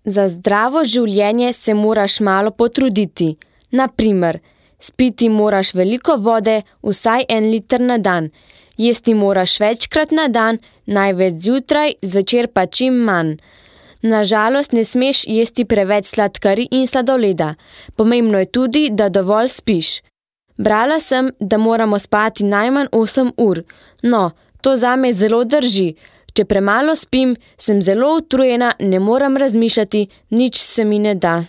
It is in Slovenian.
Za zdravo življenje se moraš malo potruditi. Na primer, spiti moraš veliko vode, vsaj 1 liter na dan. Jesti moraš večkrat na dan, največ zjutraj, zvečer pa čim manj. Na žalost ne smeš jesti preveč sladkarij in sladoleda. Pomembno je tudi, da dovolj spiš. Brala sem, da moramo spati najmanj 8 ur. No, to zame zelo drži. Če premalo spim, sem zelo utrujena, ne morem razmišljati, nič se mi ne da.